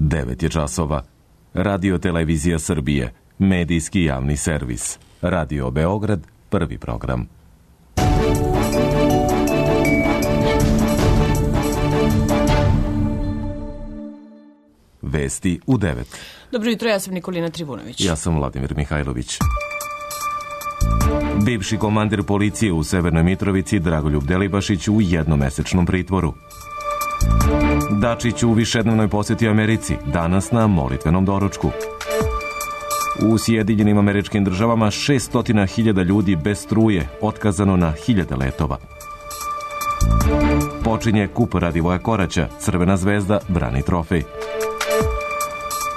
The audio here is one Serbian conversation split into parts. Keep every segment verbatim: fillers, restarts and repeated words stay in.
devet je časova. Radio Televizija Srbije, medijski javni servis. Radio Beograd, prvi program. Vesti u devet. Dobro jutro, ja sam Nikolina Trivunović. Ja sam Vladimir Mihajlović. Bivši komandir policije u Severnoj Mitrovici Dragoljub Delibašić u jednomesečnom pritvoru. Dačić u višednevnoj posjeti Americi, danas na molitvenom doručku. U Sjedinjenim Američkim Državama šessto hiljada ljudi bez struje, otkazano na hiljade letova. Počinje kup Radivoja Koraća, Crvena zvezda brani trofej.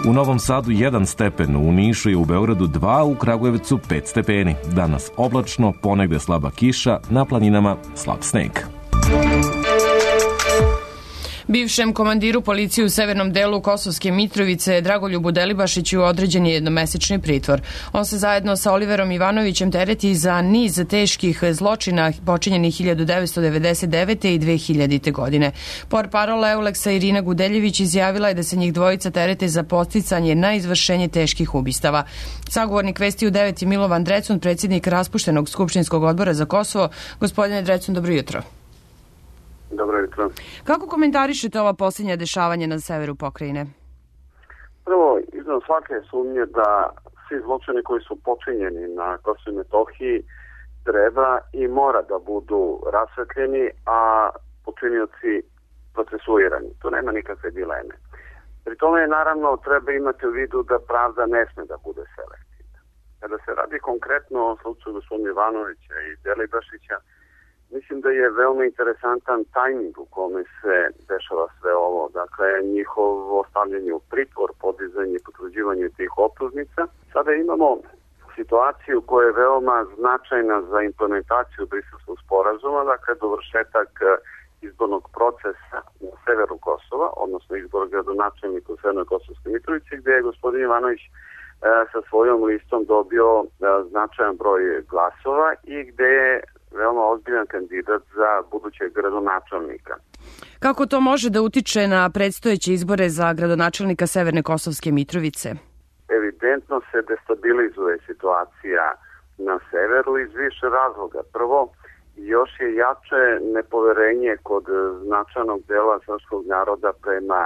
U Novom Sadu jedan stepen, u Nišu i u Beogradu dva, u Kragujevcu pet stepeni. Danas oblačno, ponegde slaba kiša, na planinama slab sneg. Bivšem komandiru policije u severnom delu Kosovske Mitrovice Dragoljubu Delibašiću određen je jednomesečni pritvor. On se zajedno sa Oliverom Ivanovićem tereti za niz teških zločina počinjenih hiljadu devetsto devedeset devete. i dve hiljadite. godine. Portparol Euleksa Irina Gudeljević izjavila je da se njih dvojica terete za podsticanje na izvršenje teških ubistava. Sagovornik Vesti u devet je Milovan Drecun, predsjednik raspuštenog Skupštinskog odbora za Kosovo. Gospodine Drecun, dobro jutro. Dobro jutro. Kako komentarišete ova posljednja dešavanja na severu pokrajine? Prvo, iznad svake sumnje da svi zločini koji su počinjeni na Kosovu i Metohiji treba i mora da budu rasvetljeni, a počinioci procesuirani. Tu nema nikakve dileme. Pri tome, naravno, treba imati u vidu da pravda ne sme da bude selektivna. Kada se radi konkretno o slučaju gospodina Ivanovića i Delibašića, mislim da je veoma interesantan tajming u kome se dešava sve ovo. Dakle, njihovo stavljanje u pritvor, podizanje i potvrđivanje tih optužnica. Sada imamo situaciju koja je veoma značajna za implementaciju Briselskog sporazuma, dakle, dovršetak izbornog procesa na severu Kosova, odnosno izbor gradonačelnika u Severnoj Kosovskoj Mitrovici, gde je gospodin Ivanović e, sa svojom listom dobio e, značajan broj glasova i gde je veoma ozbiljan kandidat za budućeg gradonačelnika. Kako to može da utiče na predstojeće izbore za gradonačelnika Severne Kosovske Mitrovice? Evidentno se destabilizuje situacija na severu iz više razloga. Prvo, još je jače nepoverenje kod značajnog dela srpskog naroda prema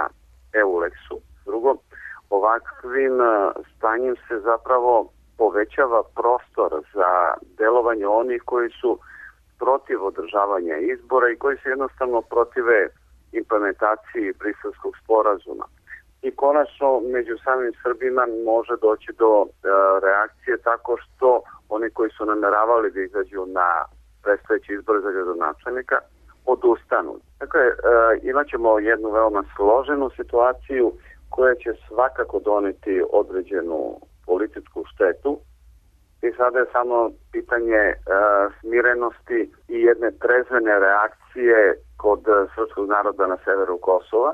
Euleksu. Drugo, ovakvim stanjem se zapravo povećava prostor za delovanje onih koji su protiv održavanja izbora i koji se jednostavno protive implementaciji Briselskog sporazuma. I konačno, među samim Srbima može doći do e, reakcije tako što oni koji su nameravali da izađu na predstojeći izbor za gradonačelnika odustanu. Dakle, e, imat ćemo jednu veoma složenu situaciju koja će svakako doneti određenu političku štetu. I sada je samo pitanje e, smirenosti i jedne trezvene reakcije kod srpskog naroda na severu Kosova,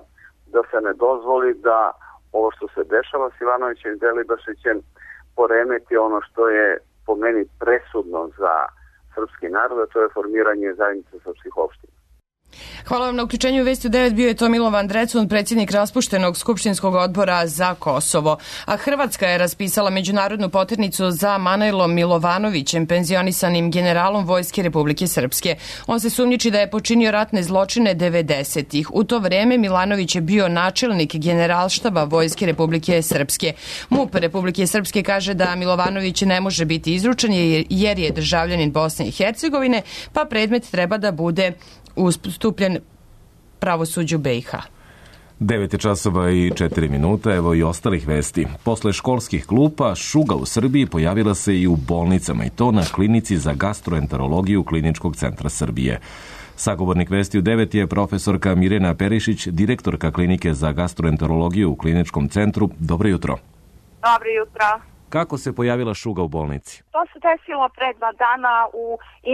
da se ne dozvoli da ovo što se dešava s Ivanovićem i Delibašićem poremeti ono što je po meni presudno za srpski narod, a to je formiranje zajednice srpskih opština. Hvala vam na uključenju. Vesti u devet bio je to Milovan Drecun, predsjednik raspuštenog Skupštinskog odbora za Kosovo. A Hrvatska je raspisala međunarodnu poternicu za Manojlom Milovanovićem, penzionisanim generalom Vojske Republike Srpske. On se sumnjiči da je počinio ratne zločine devedesetih. U to vreme Milanović je bio načelnik generalštaba Vojske Republike Srpske. MUP Republike Srpske kaže da Milovanović ne može biti izručen jer je državljanin Bosne i Hercegovine, pa predmet treba da bude ustupljen pravosuđu B i H. devet je časova i četiri minuta, evo i ostalih vesti. Posle školskih klupa, šuga u Srbiji pojavila se i u bolnicama, i to na klinici za gastroenterologiju Kliničkog centra Srbije. Sagovornik Vesti u devet je profesorka Mirjana Perišić, direktorka klinike za gastroenterologiju u Kliničkom centru. Dobro jutro. Dobro jutro. Kako se pojavila šuga u bolnici? To se desilo pre dva dana u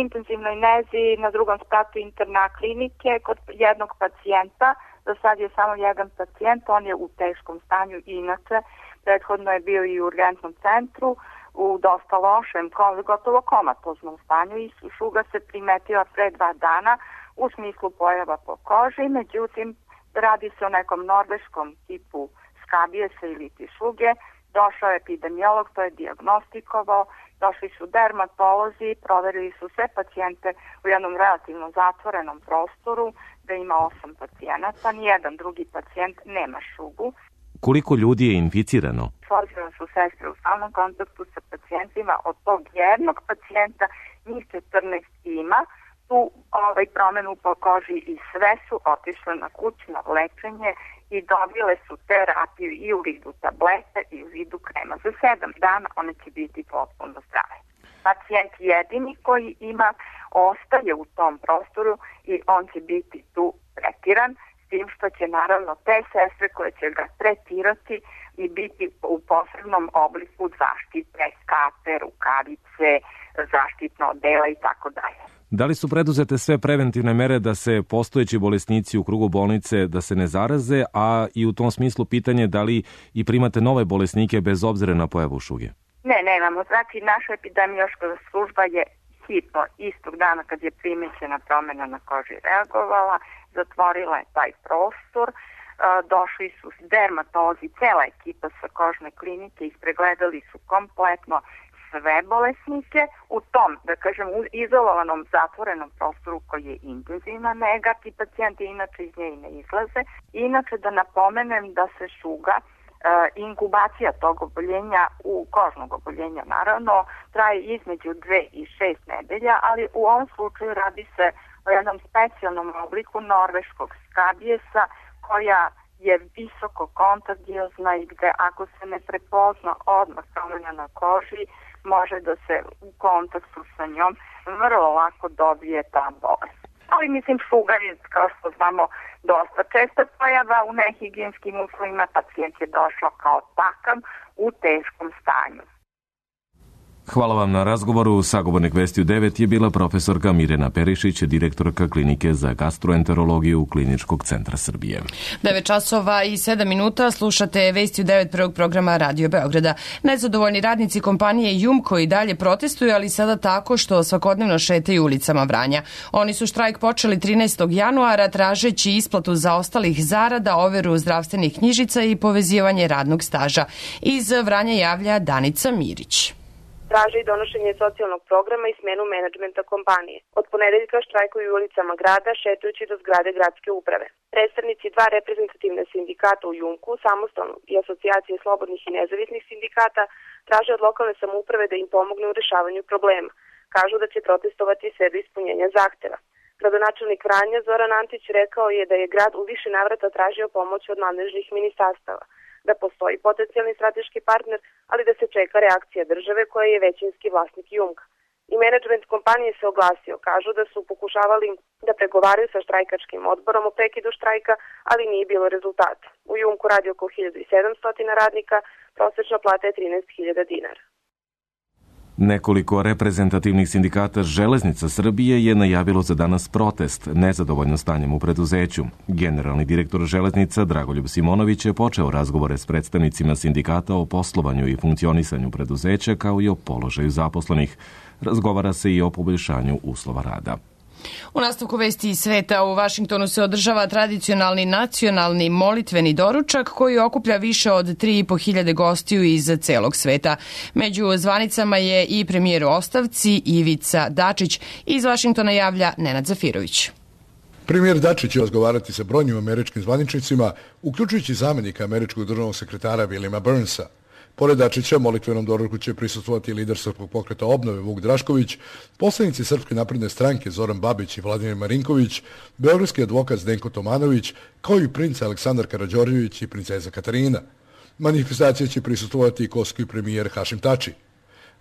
intenzivnoj nezi na drugom spratu interna klinike kod jednog pacijenta. Do sad je samo jedan pacijent, on je u teškom stanju inače. Prethodno je bio i u urgentnom centru u dosta lošem, gotovo komatoznom stanju i šuga se primetila pre dva dana u smislu pojava po koži. Međutim, radi se o nekom norveškom tipu skabijesa ili ti šuge, došao je epidemiolog, to je dijagnostikovao, došli su dermatolozi, proverili su sve pacijente u jednom relativno zatvorenom prostoru, da ima osam pacijenata, nijedan drugi pacijent nema šugu. Koliko ljudi je inficirano? S obzirom su sestre u stalnom kontaktu sa pacijentima, od tog jednog pacijenta njih četrnaest ima tu ovaj, promenu po koži i sve su otišle na kućno lečenje i dobile su terapiju i u vidu tablete i u vidu krema. Za sedam dana one će biti potpuno zdrave. Pacijent jedini koji ima ostaje u tom prostoru i on će biti tu tretiran, s tim što će naravno te sestre koje će ga tretirati i biti u posebnom obliku zaštite, skape, rukavice, zaštitno odela i tako dalje. Da li su preduzete sve preventivne mere da se postojeći bolesnici u krugu bolnice da se ne zaraze, a i u tom smislu pitanje da li i primate nove bolesnike bez obzira na pojavu šuge? Ne, nemamo. Znači, naša epidemiološka služba je hitno, istog dana kad je primećena promjena na koži reagovala, zatvorila je taj prostor, došli su dermatolozi, cela ekipa sa kožne klinike, ispregledali su kompletno sve bolesnike u tom, da kažem, izolovanom zatvorenom prostoru koji je intenzivna nega, ti pacijenti inače iz nje i ne izlaze. Inače da napomenem da se šuga, inkubacija tog oboljenja, u kožnog oboljenja naravno, traje između dve i šest nedelja, ali u ovom slučaju radi se o jednom specijalnom obliku norveškog skabijesa koja je visoko kontagiozna i gde ako se ne prepozna odmah promjena na koži, može da se u kontaktu sa njom vrlo lako dobije ta bolest. Ali mislim šuga je, kao što znamo, dosta česta pojava u nehigijenskim uslovima, pacijent je došao kao takav u teškom stanju. Hvala vam na razgovoru. Sagovornik Vesti u devet je bila profesorka Mirjana Perišić, direktorka Klinike za gastroenterologiju Kliničkog centra Srbije. devet časova i sedam minuta slušate Vesti u devet prvog programa Radio Beograda. Nezadovoljni radnici kompanije Jumko i dalje protestuju, ali sada tako što svakodnevno šetaju ulicama Vranja. Oni su štrajk počeli trinaestog januara tražeći isplatu zaostalih zarada, overu zdravstvenih knjižica i povezivanje radnog staža. Iz Vranja javlja Danica Mirić. Traže i donošenje socijalnog programa i smenu menadžmenta kompanije. Od ponedeljka štrajkuju ulicama grada, šetajući do zgrade gradske uprave. Predstavnici dva reprezentativne sindikata u Jumku, Samostalnog i Asocijacije slobodnih i nezavisnih sindikata, traže od lokalne samouprave da im pomogne u rešavanju problema. Kažu da će protestovati sve do ispunjenja zahteva. Gradonačelnik Vranja Zoran Antić rekao je da je grad u više navrata tražio pomoć od nadležnih ministarstava, da postoji potencijalni strateški partner, ali da se čeka reakcija države koja je većinski vlasnik Jumka. I menadžment kompanije se oglasio, kažu da su pokušavali da pregovaraju sa štrajkačkim odborom o prekidu štrajka, ali nije bilo rezultata. U Jumku radi oko hiljadu sedamsto radnika, prosečna plata je trinaest hiljada dinara. Nekoliko reprezentativnih sindikata Železnica Srbije je najavilo za danas protest, nezadovoljno stanjem u preduzeću. Generalni direktor Železnica Dragoljub Simonović je počeo razgovore s predstavnicima sindikata o poslovanju i funkcionisanju preduzeća kao i o položaju zaposlenih. Razgovara se i o poboljšanju uslova rada. U nastavku Vesti iz sveta u Vašingtonu se održava tradicionalni nacionalni molitveni doručak koji okuplja više od tri i po hiljade gostiju iz celog sveta. Među zvanicama je i premijer u ostavci Ivica Dačić. Iz Vašingtona javlja Nenad Zafirović. Premijer Dačić će razgovarati sa brojnim američkim zvaničnicima, uključujući zamenika američkog državnog sekretara Williama Burnsa. Pored Dačića, molitvenom doručku će prisustvovati lider Srpskog pokreta obnove Vuk Drašković, poslanici Srpske napredne stranke Zoran Babić i Vladimir Marinković, beogradski advokat Zdenko Tomanović, kao i princ Aleksandar Karađorđević i princeza Katarina. Manifestacije će prisustvovati i koski premijer Hašim Tači.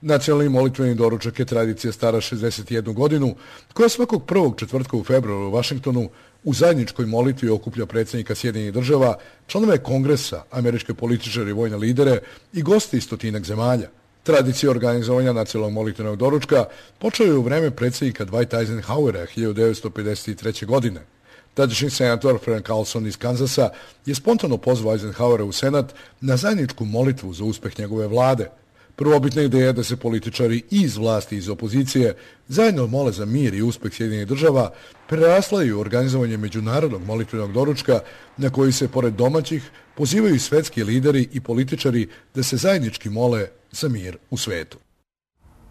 Nacionalni molitveni doručak je tradicija stara šezdeset jednu godinu, koja svakog prvog četvrtka u februaru u Vašingtonu u zajedničkoj molitvi okuplja predsjednika Sjedinjenih država, članove kongresa, američke političare i vojne lidere i goste iz stotinak zemalja. Tradicija organizovanja nacionalnog molitvenog doručka počela je u vreme predsjednika Dwighta Eisenhowera hiljadu devetsto pedeset treće. godine. Tadašnji senator Frank Carlson iz Kanzasa je spontano pozvao Eisenhowera u senat na zajedničku molitvu za uspeh njegove vlade. Prvobitna ideja je da se političari i iz vlasti i iz opozicije zajedno mole za mir i uspeh Sjedinjenih država, prerasla je u organizovanje međunarodnog molitvenog doručka na koji se, pored domaćih, pozivaju svetski lideri i političari da se zajednički mole za mir u svetu.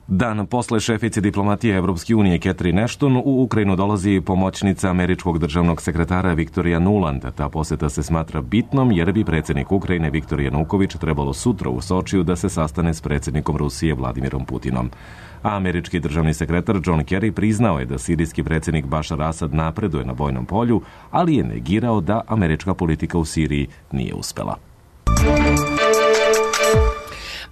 Dan posle šefice diplomatije Evropske unije Catherine Ashton u Ukrajinu dolazi pomoćnica američkog državnog sekretara Viktorija Nuland. Ta poseta se smatra bitnom jer bi predsjednik Ukrajine Viktor Januković trebalo sutra u Sočiju da se sastane s predsjednikom Rusije Vladimirom Putinom. A američki državni sekretar John Kerry priznao je da sirijski predsjednik Bašar Asad napreduje na bojnom polju, ali je negirao da američka politika u Siriji nije uspela.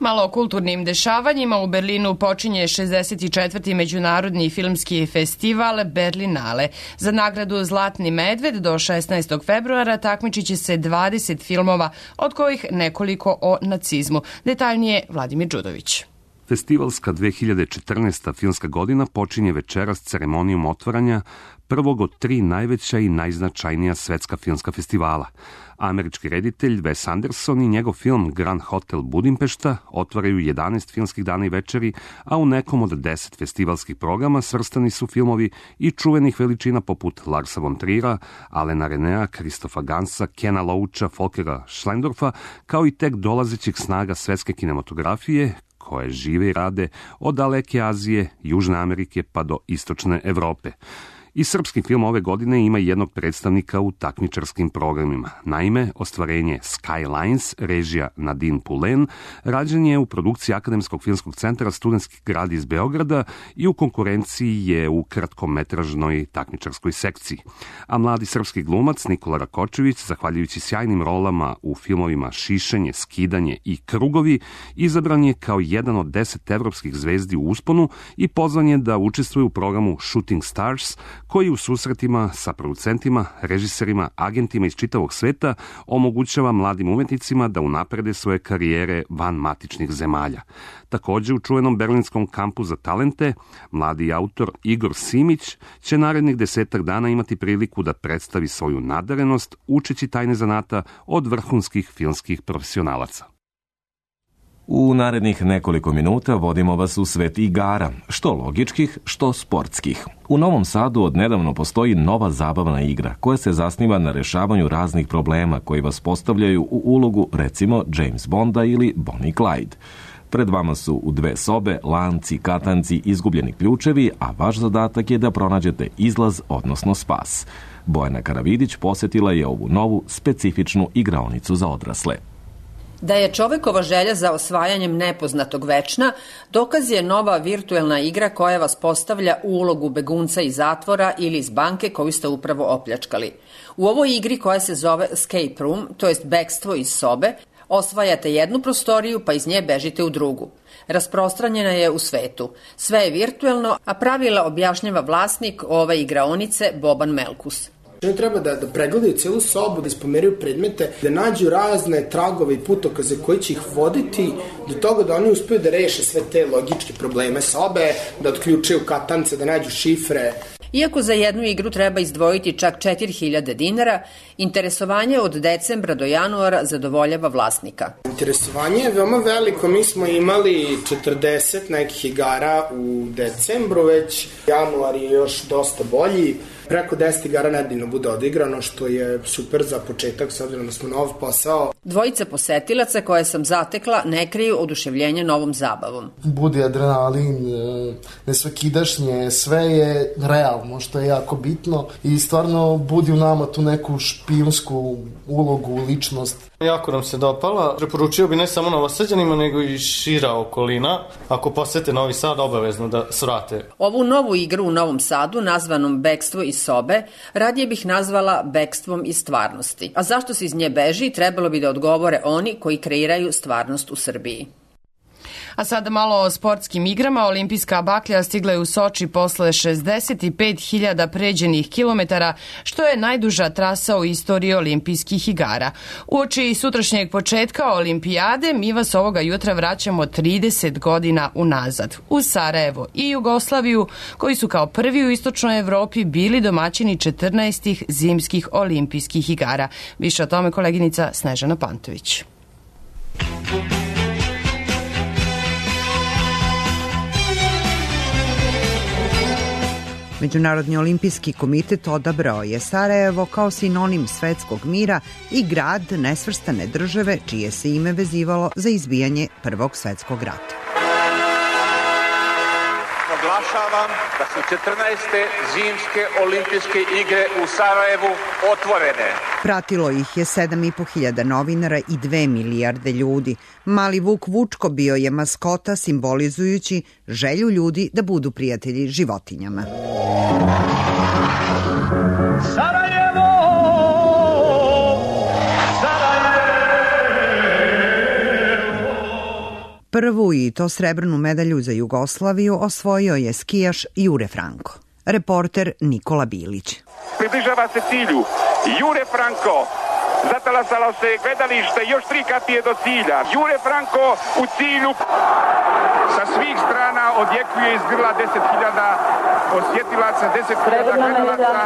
Malo o kulturnim dešavanjima. U Berlinu počinje šezdeset četvrti međunarodni filmski festival Berlinale. Za nagradu Zlatni medved do šesnaestog februara takmičit će se dvadeset filmova, od kojih nekoliko o nacizmu. Detaljnije Vladimir Đudović. Festivalska dve hiljade četrnaesta. filmska godina počinje večeras ceremonijom otvaranja prvog od tri najveća i najznačajnija svetska filmska festivala. Američki reditelj Wes Anderson i njegov film Grand Hotel Budimpešta otvaraju jedanaest filmskih dana i večeri, a u nekom od deset festivalskih programa svrstani su filmovi i čuvenih veličina poput Larsa von Trier'a, Alena Renea, Kristofa Gansa, Kena Loacha, Folkera Schlendorfa, kao i tek dolazećih snaga svetske kinematografije, koje žive i rade od daleke Azije, Južne Amerike pa do istočne Evrope. I srpski film ove godine ima jednog predstavnika u takmičarskim programima. Naime, ostvarenje Skylines, režija Nadine Poulen, rađen je u produkciji Akademskog filmskog centra Studentski grad iz Beograda i u konkurenciji je u kratkometražnoj takmičarskoj sekciji. A mladi srpski glumac Nikola Rakočević, zahvaljujući sjajnim rolama u filmovima Šišanje, Skidanje i Krugovi, izabran je kao jedan od deset evropskih zvezdi u usponu i pozvan je da učestvuje u programu Shooting Stars, koji u susretima sa producentima, režiserima, agentima iz čitavog sveta omogućava mladim umetnicima da unaprede svoje karijere van matičnih zemalja. Također u čuvenom berlinskom kampu za talente, mladi autor Igor Simić će narednih desetak dana imati priliku da predstavi svoju nadarenost učeći tajne zanata od vrhunskih filmskih profesionalaca. U narednih nekoliko minuta vodimo vas u svet igara, što logičkih, što sportskih. U Novom Sadu odnedavno postoji nova zabavna igra koja se zasniva na rešavanju raznih problema koji vas postavljaju u ulogu, recimo, James Bonda ili Bonnie Clyde. Pred vama su u dve sobe lanci, katanci, izgubljeni ključevi, a vaš zadatak je da pronađete izlaz, odnosno spas. Bojana Karavidić posjetila je ovu novu, specifičnu igraonicu za odrasle. Da je čovekova želja za osvajanjem nepoznatog večna, dokaz je nova virtuelna igra koja vas postavlja u ulogu begunca iz zatvora ili iz banke koju ste upravo opljačkali. U ovoj igri koja se zove Escape Room, to jest bekstvo iz sobe, osvajate jednu prostoriju pa iz nje bežite u drugu. Rasprostranjena je u svetu. Sve je virtuelno, a pravila objašnjava vlasnik ove igraonice Boban Melkus. Oni treba da, da pregledaju celu sobu, da ispomeraju predmete, da nađu razne tragove i putokaze koji će ih voditi do toga da oni uspeju da reše sve te logičke probleme sobe, da otključaju katance, da nađu šifre. Iako za jednu igru treba izdvojiti čak četiri hiljade dinara, interesovanje od decembra do januara zadovoljava vlasnika. Interesovanje je veoma veliko. Mi smo imali četrdeset nekih igara u decembru, već januar je još dosta bolji. Preko deset igara nedeljno bude odigrano, što je super za početak, s obzirom da smo nov posao. Dvojica posetilaca koje sam zatekla ne kriju oduševljenje novom zabavom. Bude adrenalin, nesvakidašnje, sve je realno, što je jako bitno i stvarno budi u nama tu neku špijunsku ulogu, ličnost. Jako nam se dopala. Preporučio bi ne samo Novosađanima, nego i šira okolina. Ako posete Novi Sad, obavezno da svrate. Ovu novu igru u Novom Sadu, nazvanom Bekstvo iz sobe, radije bih nazvala bekstvom iz stvarnosti. A zašto se iz nje beži, trebalo bi da odgovore oni koji kreiraju stvarnost u Srbiji. A sada malo o sportskim igrama. Olimpijska baklja stigla je u Soči posle šezdeset pet hiljada pređenih kilometara, što je najduža trasa u istoriji olimpijskih igara. Uoči sutrašnjeg početka olimpijade mi vas ovoga jutra vraćamo trideset godina unazad, u Sarajevo i Jugoslaviju, koji su kao prvi u istočnoj Evropi bili domaćini četrnaestih zimskih olimpijskih igara. Više o tome koleginica Snežana Pantović. Međunarodni olimpijski komitet odabrao je Sarajevo kao sinonim svetskog mira i grad nesvrstane države čije se ime vezivalo za izbijanje Prvog svetskog rata. Oglašavam da su četrnaeste zimske olimpijske igre u Sarajevu otvorene. Pratilo ih je sedam i po hiljada novinara i dve milijarde ljudi. Mali Vuk Vučko bio je maskota simbolizujući želju ljudi da budu prijatelji životinjama. Sarajevo! Prvu i to srebrnu medalju za Jugoslaviju osvojio je skijaš Jure Franko. Reporter Nikola Bilić. Približava se cilju. Jure Franko. Zatalasalo se gledalište, još tri kapije do cilja. Jure Franko u cilju. Sa svih strana odjekuje iz grla deset hiljada posjetilaca, deset hiljada gledalaca.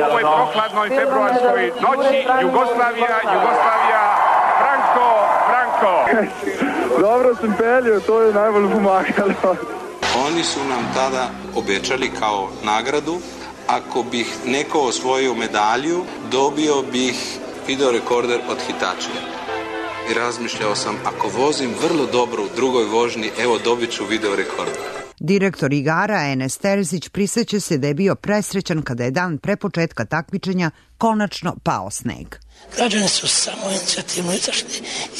U ovoj prohladnoj februarskoj noći Jugoslavija, Jugoslavija, Franko, Franko. Dobro sam pelio, to je najbolje pomagalo. Oni su nam tada obećali kao nagradu, ako bih neko osvojio medalju, dobio bih video rekorder od Hitačija. I razmišljao sam, ako vozim vrlo dobro u drugoj vožnji, evo dobit ću video rekorder. Direktor igara Enes Terzić priseća se da je bio presrećan kada je dan pre početka takmičenja konačno pao sneg. Građani su samo inicijativno izašli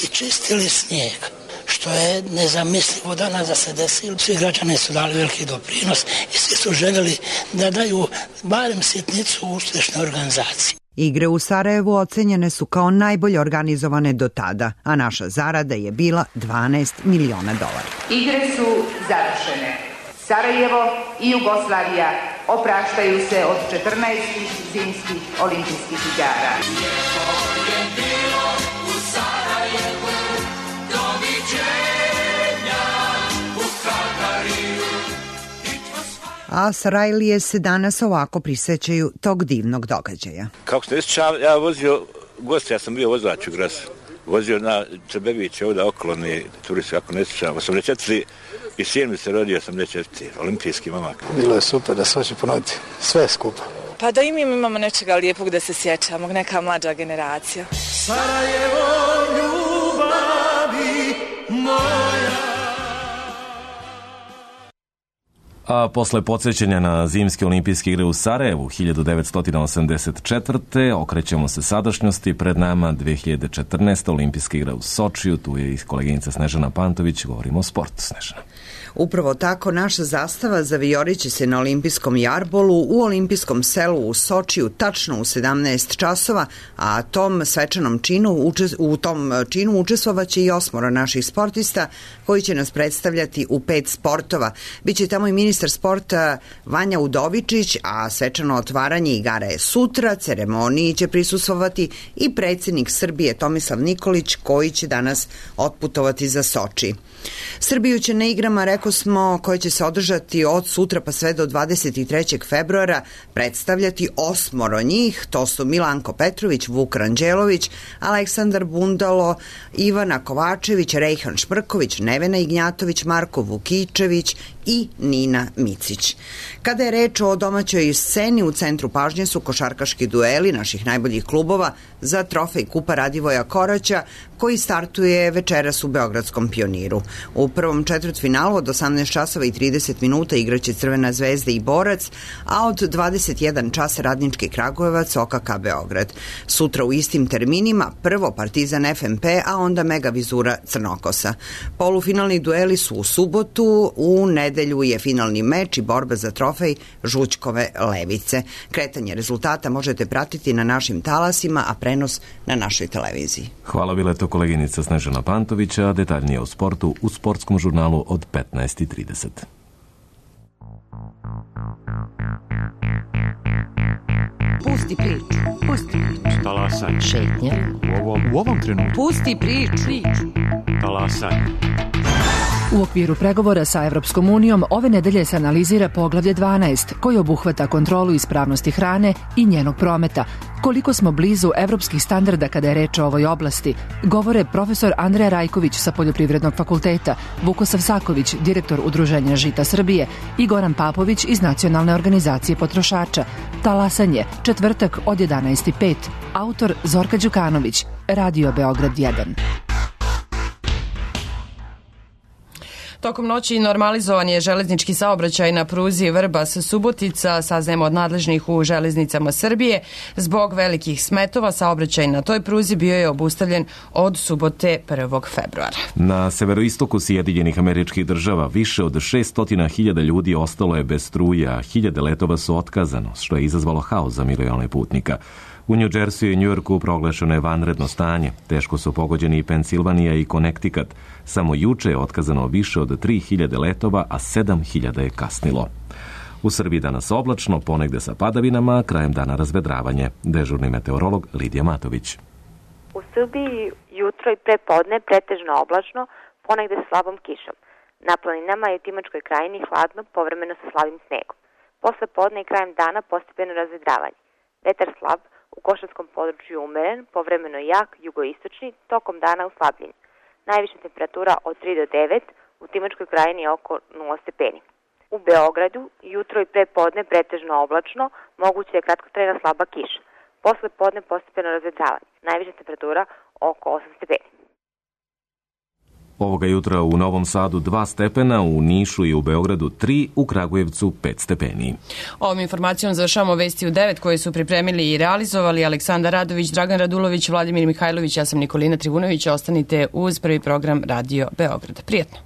i čistili snijeg, što je nezamislivo danas da se desilo. Svi građani su dali veliki doprinos i svi su željeli da daju barem sitnicu uspješne organizacije. Igre u Sarajevu ocenjene su kao najbolje organizovane do tada, a naša zarada je bila dvanaest miliona dolara. Igre su završene. Sarajevo i Jugoslavija opraštaju se od četrnaestih zimskih olimpijskih igara. A Sarajlije se danas ovako prisećaju tog divnog događaja. Kako se ne sjećam, ja vozio gost, ja sam bio vozač u Grasu. Vozio na Čebeviće ovdje okolni turisti, kako ne sjećam. osamdeset četvrti i sin mi se rodio osamdeset četvrti olimpijski momak. Bilo je super da se hoće ponoviti sve skupa. Pa da i mi imamo nečega lijepog da se sjećamo, neka mlađa generacija. Sarajevo, ljubavi moja. A posle podsjećanja na zimske olimpijske igre u Sarajevu hiljadu devetsto osamdeset četvrte okrećemo se sadašnjosti. Pred nama dve hiljade četrnaeste olimpijske igre u Sočiju. Tu je i koleginica Snežana Pantović. Govorimo o sportu, Snežana. Upravo tako naša zastava zavijoriće se na olimpijskom jarbolu u olimpijskom selu u Sočiju tačno u sedamnaest časova, a tom svečanom činu, u tom činu učestvovaće i osmoro naših sportista koji će nas predstavljati u pet sportova. Biće tamo i ministar sporta Vanja Udovičić, a svečano otvaranje igara je sutra. Ceremoniji će prisustvovati i predsjednik Srbije Tomislav Nikolić koji će danas otputovati za Soči. Srbiju će na igrama, reko smo, koje će se održati od sutra pa sve do dvadeset trećeg februara predstavljati osmoro njih. To su Milanko Petrović, Vuk Ranđelović, Aleksandar Bundalo, Ivana Kovačević, Rejhan Šprković, Nevena Ignjatović, Marko Vukičević i Nina Micić. Kada je reč o domaćoj sceni, u centru pažnje su košarkaški dueli naših najboljih klubova za trofej Kupa Radivoja Koraća koji startuje večeras u Beogradskom Pioniru. U prvom četvrtfinalu od osamnaest časova i trideset minuta igraće Crvena zvezda i Borac, a od dvadeset jedan čas Radnički Kragujevac, O K K Beograd. Sutra u istim terminima prvo Partizan F M P, a onda Mega Vizura Crnokosa. Polufinalni dueli su u subotu, u nedelju je finalni meč i borba za trofej Žućkove Levice. Kretanje rezultata možete pratiti na našim talasima, a prenos na našoj televiziji. Hvala, bila je to koleginica Snežana Pantovića, detaljnije o sportu u sportskom žurnalu od petnaest i trideset. Pusti priču, pusti priču. Talasaj. Šetnje. U ovom, u ovom trenutku. Pusti priču. Talasaj. U okviru pregovora sa Evropskom unijom ove nedelje se analizira poglavlje dvanaest, koji obuhvata kontrolu ispravnosti hrane i njenog prometa. Koliko smo blizu evropskih standarda kada je reč o ovoj oblasti, govore profesor Andreja Rajković sa Poljoprivrednog fakulteta, Vukosav Saković, direktor Udruženja Žita Srbije i Goran Papović iz Nacionalne organizacije potrošača. Talasanje, četvrtak od jedanaest i pet. Autor Zorka Đukanović, Radio Beograd jedan. Tokom noći normalizovan je železnički saobraćaj na pruzi Vrbas-Subotica, saznajemo od nadležnih u železnicama Srbije. Zbog velikih smetova saobraćaj na toj pruzi bio je obustavljen od subote prvog februara. Na severoistoku Sjedinjenih Američkih Država više od šessto hiljada ljudi ostalo je bez struje, a hiljade letova su otkazano, što je izazvalo haos za milione putnika. U New Jerseyu i Njujorku proglašeno je vanredno stanje. Teško su pogođeni i Pensilvanija i Connecticut. Samo juče je otkazano više od tri hiljade letova, a sedam hiljada je kasnilo. U Srbiji danas oblačno, ponegde sa padavinama, krajem dana razvedravanje. Dežurni meteorolog Lidija Matović. U Srbiji jutro i prepodne pretežno oblačno, ponegde sa slabom kišom. Na planinama i u Timočkoj krajini hladno, povremeno sa slabim snegom. Posle podne i krajem dana postepeno razvedravanje. Vetar slab, u Košarskom području umeren, povremeno jak, jugoistočni, tokom dana uslabljen. Najviša temperatura od tri do devet, u Timočkoj krajini oko nula stepeni. U Beogradu jutro i prepodne pretežno oblačno, moguće je kratkotrajna slaba kiša. Posle podne postepeno razvedravanje. Najviša temperatura oko osam stepeni. Ovoga jutra u Novom Sadu dva stepena, u Nišu i u Beogradu tri, u Kragujevcu pet stepeni. Ovom informacijom završavamo vesti u devet koje su pripremili i realizovali Aleksandar Radović, Dragan Radulović, Vladimir Mihajlović, ja sam Nikolina Trivunović. Ostanite uz prvi program Radio Beograd. Prijetno.